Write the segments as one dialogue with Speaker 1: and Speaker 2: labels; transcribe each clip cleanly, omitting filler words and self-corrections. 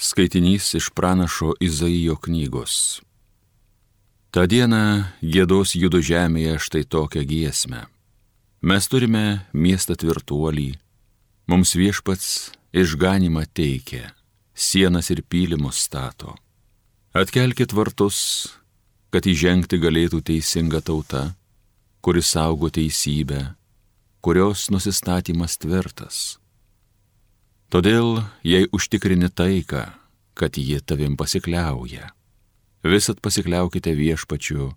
Speaker 1: Skaitinys iš pranašo Izaijo knygos. Ta diena giedos Judo žemėje štai tokią giesmę. Mes turime miestą tvirtuolį, mums Viešpats išganymą teikia, sienas ir pylimus stato. Atkelkit vartus, kad įžengti galėtų teisinga tauta, kuri saugo teisybę, kurios nusistatymas tvirtas. Todėl, jei užtikrini taiką, kad ji tavim pasikliauja, visat pasikliaukite Viešpačiu,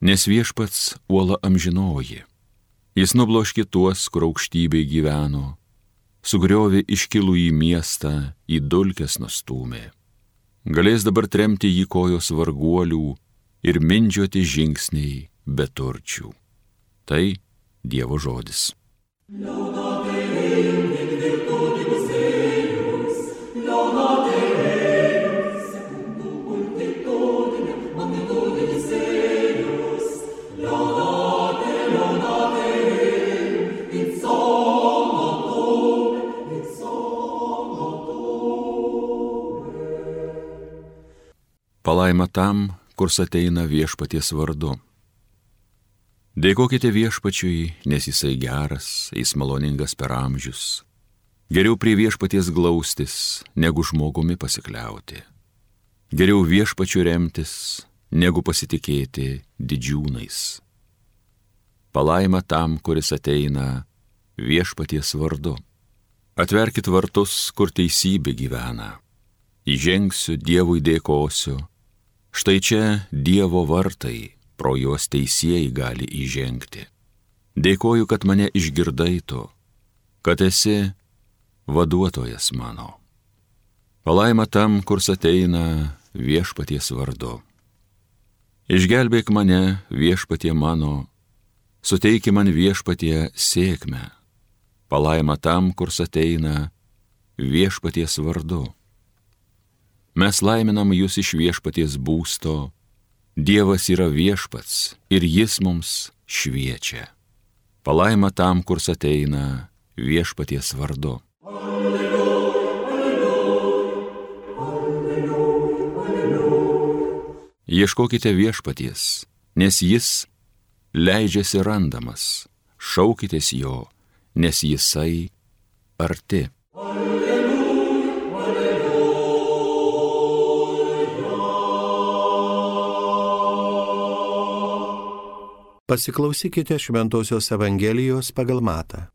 Speaker 1: nes Viešpats uola amžinoji. Jis nubloškė tuos, kur aukštybėj gyveno, sugriovė iškilų į miestą, į dulkes nustūmė. Galės dabar tremti jį kojos varguolių ir mindžioti žingsniai beturčių. Tai Dievo žodis. Palaima tam, kurs ateina Viešpaties vardu. Dėkokite Viešpačiui, nes jisai geras, jis maloningas per amžius. Geriau prie Viešpaties glaustis, negu žmogumi pasikliauti. Geriau Viešpačiu remtis, negu pasitikėti didžiūnais. Palaima tam, kuris ateina Viešpaties vardu. Atverkit vartus, kur teisybė gyvena. Įžengsiu, Dievui dėkosiu. Štai čia Dievo vartai, pro juos teisieji gali įžengti. Dėkoju, kad mane išgirdai tu, kad esi vaduotojas mano. Palaima tam, kurs ateina Viešpaties vardu. Išgelbėk mane, Viešpatie mano, suteiki man Viešpatie sėkmę. Palaima tam, kurs ateina Viešpaties vardu. Mes laiminam jūs iš Viešpaties būsto, Dievas yra Viešpats ir jis mums šviečia. Palaima tam, kurs ateina Viešpaties vardu. Ieškokite Viešpaties, nes jis leidžiasi randamas, šaukitės jo, nes jisai arti.
Speaker 2: Pasiklausykite Šventosios Evangelijos pagal Matą.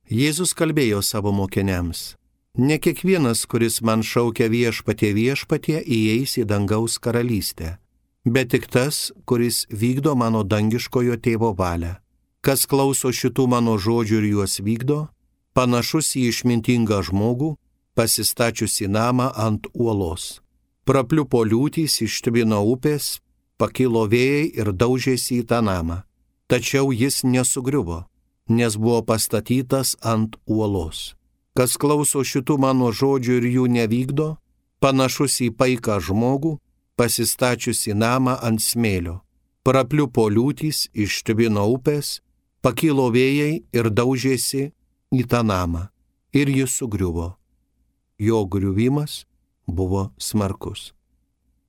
Speaker 2: Jėzus kalbėjo savo mokiniams: Ne kiekvienas, kuris man šaukia Viešpatie, Viešpatie, įeis į dangaus karalystę, bet tik tas, kuris vykdo mano dangiškojo tėvo valią. Kas klauso šitų mano žodžių ir juos vykdo, panašus į išmintingą žmogų, pasistačiusi namą ant uolos. Prapliupo liūtys, ištvino upės, pakilo vėjai ir daužėsi į tą namą. Tačiau jis nesugriuvo, nes buvo pastatytas ant uolos. Kas klauso šitų mano žodžių ir jų nevykdo, panašus į paiką žmogų, pasistačiusi namą ant smėlio. Prapliupo liūtys, ištvino upės, pakilo vėjai ir daužėsi į tą namą. Ir jis sugriuvo. Jo griuvimas buvo smarkus.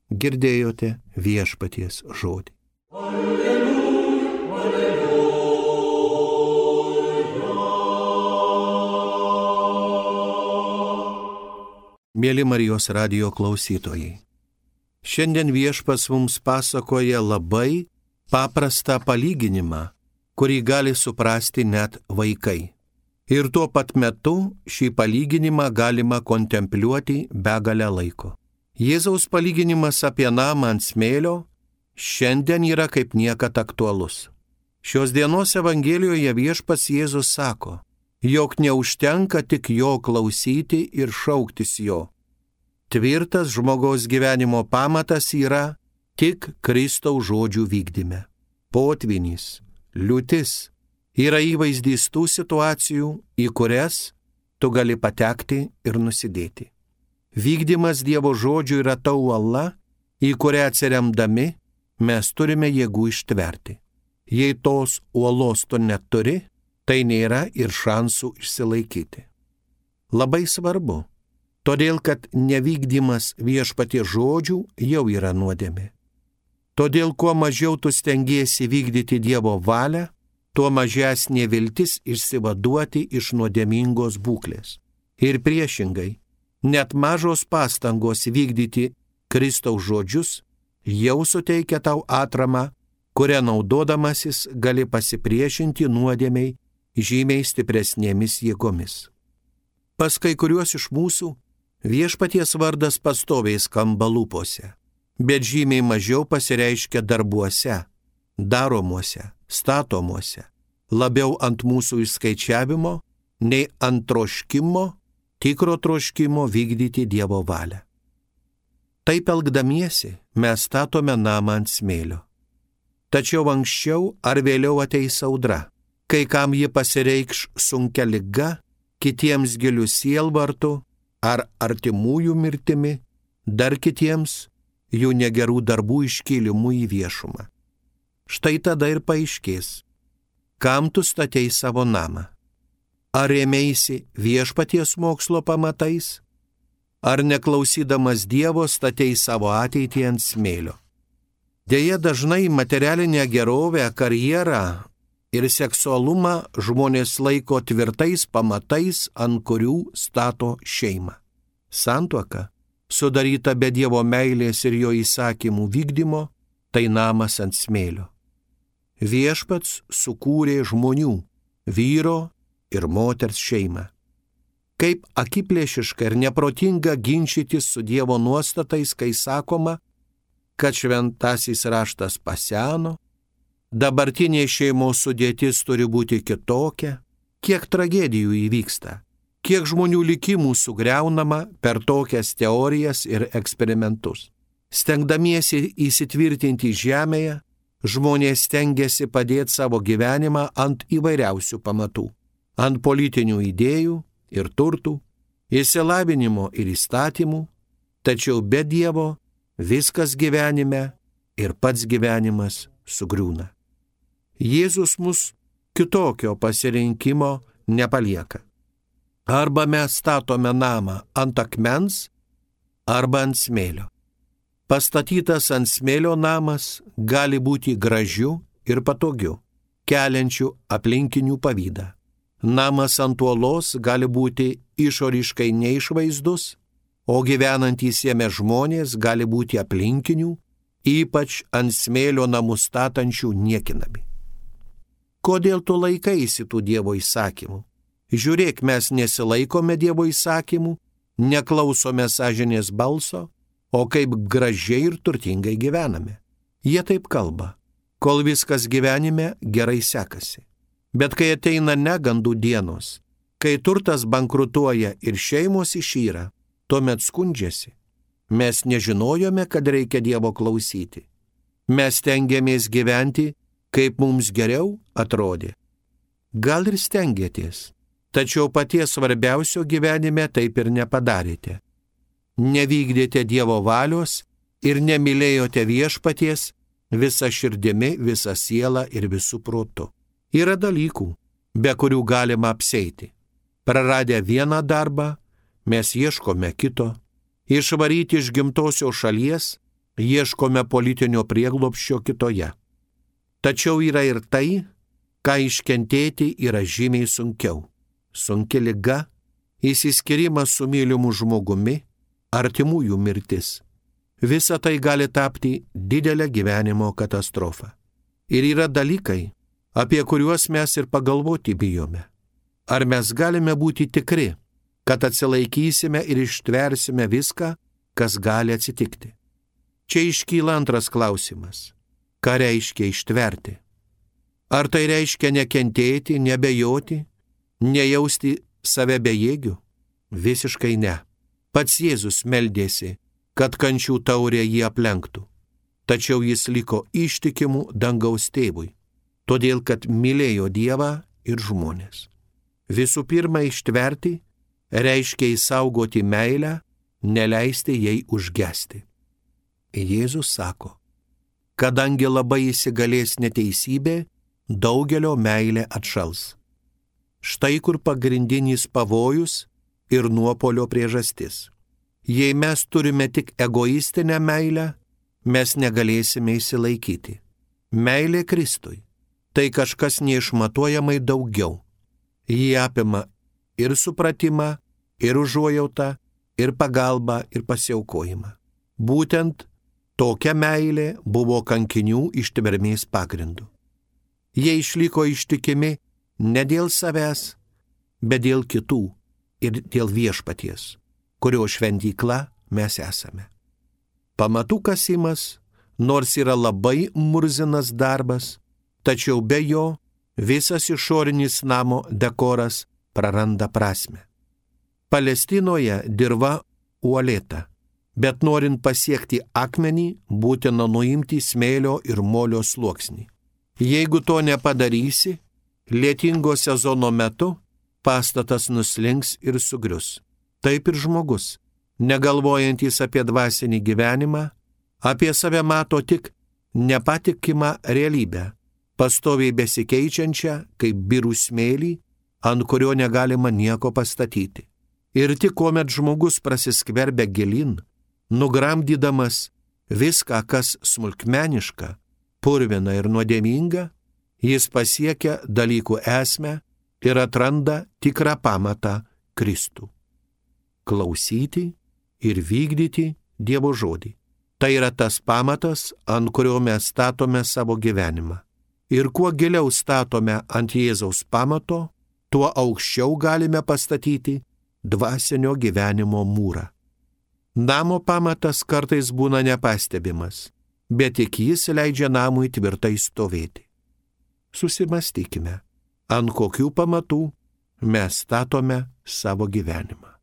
Speaker 2: Girdėjote Viešpaties žodį. Alleluja, alleluja. Mieli Marijos radijo klausytojai, šiandien Viešpats mums pasakoja labai paprastą palyginimą, kurį gali suprasti net vaikai. Ir tuo pat metu šį palyginimą galima kontempliuoti begalę laiko. Jėzaus palyginimas apie namą ant smėlio šiandien yra kaip niekad aktualus. Šios dienos Evangelijoje Viešpats Jėzus sako, jog neužtenka tik jo klausyti ir šauktis jo. Tvirtas žmogaus gyvenimo pamatas yra tik Kristaus žodžių vykdyme. Potvynis, liūtis yra įvaizdys tų situacijų, į kurias tu gali patekti ir nusidėti. Vykdymas Dievo žodžių yra ta uola, į kurią atsiremdami mes turime jėgų ištverti. Jei tos uolos tu neturi, tai nėra ir šansų išsilaikyti. Labai svarbu, Todėl, kad nevykdymas Viešpaties žodžių jau yra nuodėmė. Todėl, kuo mažiau tu stengiesi vykdyti Dievo valią, tuo mažesnė viltis išsivaduoti iš nuodėmingos būklės. Ir priešingai, net mažos pastangos vykdyti Kristaus žodžius jau suteikia tau atramą, kurią naudodamasis gali pasipriešinti nuodėmei žymiai stipresnėmis jėgomis. Pas kai kuriuos iš mūsų Viešpaties vardas pastoviai skamba lūpose, bet žymiai mažiau pasireiškia darbuose, daromuose, statomuose, labiau ant mūsų išskaičiavimo, nei ant troškimo, tikro troškimo vykdyti Dievo valią. Taip elgdamiesi mes statome namą ant smėlio. Tačiau anksčiau ar vėliau ateis audra, kai kam ji pasireikš sunkia liga, kitiems giliu sielvartu ar artimųjų mirtimi, dar kitiems jų negerų darbų iškėlimu į viešumą. Štai tada ir paaiškės, kam tu statei savo namą. Ar ėmėsi Viešpaties mokslo pamatais, ar neklausydamas Dievo statei savo ateitį ant smėlio. Deja, dažnai materialinę gerovę, karjerą ir seksualumą žmonės laiko tvirtais pamatais, ant kurių stato šeimą. Santuoka, sudaryta be Dievo meilės ir jo įsakymų vykdymo, tai namas ant smėlio. Viešpats sukūrė žmonių, vyro ir moters šeimą. Kaip akiplėšiška ir neprotinga ginčytis su Dievo nuostatais, kai sakoma, kad šventasis raštas paseno, dabartinė šeimos sudėtis turi būti kitokia, kiek tragedijų įvyksta, kiek žmonių likimų sugriaunama per tokias teorijas ir eksperimentus. Stengdamiesi įsitvirtinti žemėje, žmonės stengiasi padėti savo gyvenimą ant įvairiausių pamatų, ant politinių idėjų ir turtų, išsilavinimo ir įstatymų, tačiau be Dievo viskas gyvenime ir pats gyvenimas sugriūna. Jėzus mus kitokio pasirinkimo nepalieka. Arba mes statome namą ant akmens, arba ant smėlio. Pastatytas ant smėlio namas gali būti gražiu ir patogiu, keliančiu aplinkinių pavydą. Namas ant uolos gali būti išoriškai neišvaizdus, o gyvenantys jame žmonės gali būti aplinkinių, ypač ant smėlio namus statančių niekinami. Kodėl tu laikaisi tų Dievo įsakymų? Žiūrėk, mes nesilaikome Dievo įsakymų, neklausome sąžinės balso, o kaip gražiai ir turtingai gyvename. Jie taip kalba, kol viskas gyvenime gerai sekasi. Bet kai ateina negandų dienos, kai turtas bankrutuoja ir šeimos išyra, tuomet skundžiasi. Mes nežinojome, kad reikia Dievo klausyti. Mes stengiamės gyventi, kaip mums geriau atrodė. Gal ir stengiatės, tačiau paties svarbiausio gyvenime taip ir nepadarėte. Nevykdėte Dievo valios ir nemylėjote Viešpaties visą širdimi, visą sielą ir visų protu. Yra dalykų, be kurių galima apseiti. Praradę vieną darbą, mes ieškome kito. Išvaryti iš gimtosios šalies, ieškome politinio prieglobsčio kitoje. Tačiau yra ir tai, ką iškentėti yra žymiai sunkiau. Sunki liga, išsiskyrimas su mylimu žmogumi, artimųjų mirtis. Visa tai gali tapti didelę gyvenimo katastrofą. Ir yra dalykai, apie kuriuos mes ir pagalvoti bijome. Ar mes galime būti tikri, kad atsilaikysime ir ištversime viską, kas gali atsitikti? Čia iškyla antras klausimas. Ką reiškia ištverti? Ar tai reiškia nekentėti, nebejoti, nejausti save bejėgiu? Visiškai ne. Pats Jėzus meldėsi, kad kančių taurė jį aplenktų. Tačiau jis liko ištikimu dangaus tėvui, todėl kad mylėjo Dievą ir žmonės. Visų pirma, ištverti reiškia įsaugoti meilę, neleisti jai užgesti. Jėzus sako, kadangi labai įsigalės neteisybė, daugelio meilė atšals. Štai kur pagrindinis pavojus ir nuopolio priežastis. Jei mes turime tik egoistinę meilę, mes negalėsime išsilaikyti. Meilė Kristui – tai kažkas neišmatuojamai daugiau. Ji apima ir supratimą, ir užuojautą, ir pagalbą, ir pasiaukojimą. Būtent tokia meilė buvo kankinių ištvermės pagrindu. Jie išliko ištikimi ne dėl savęs, bet dėl kitų ir dėl viešpaties, kurio šventykla mes esame. Pamatų kasimas, nors yra labai murzinas darbas, tačiau be jo visas išorinis namo dekoras praranda prasmę. Palestinoje dirva uolėta, bet norint pasiekti akmenį, būtina nuimti smėlio ir molio sluoksnį. Jeigu to nepadarysi, lietingo sezono metu pastatas nuslinks ir sugrius. Taip ir žmogus, negalvojantis apie dvasinį gyvenimą, apie save mato tik nepatikimą realybę, pastoviai besikeičiančią kaip birų smėlį, ant kurio negalima nieko pastatyti. Ir tik kuomet žmogus prasiskverbia gilin, nugramdydamas viską, kas smulkmeniška, purvina ir nuodėminga, jis pasiekia dalykų esmę ir atranda tikrą pamatą Kristų. Klausyti ir vykdyti Dievo žodį. Tai yra tas pamatas, ant kurio mes statome savo gyvenimą. Ir kuo giliau statome ant Jėzaus pamato, tuo aukščiau galime pastatyti dvasinio gyvenimo mūrą. Namo pamatas kartais būna nepastebimas, bet tik jis leidžia namui tvirtai stovėti. Susimastykime, ant kokių pamatų mes statome savo gyvenimą.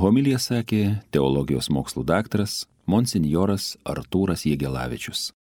Speaker 1: Homiliją sakė teologijos mokslų daktaras monsinjoras Artūras Jegelavičius.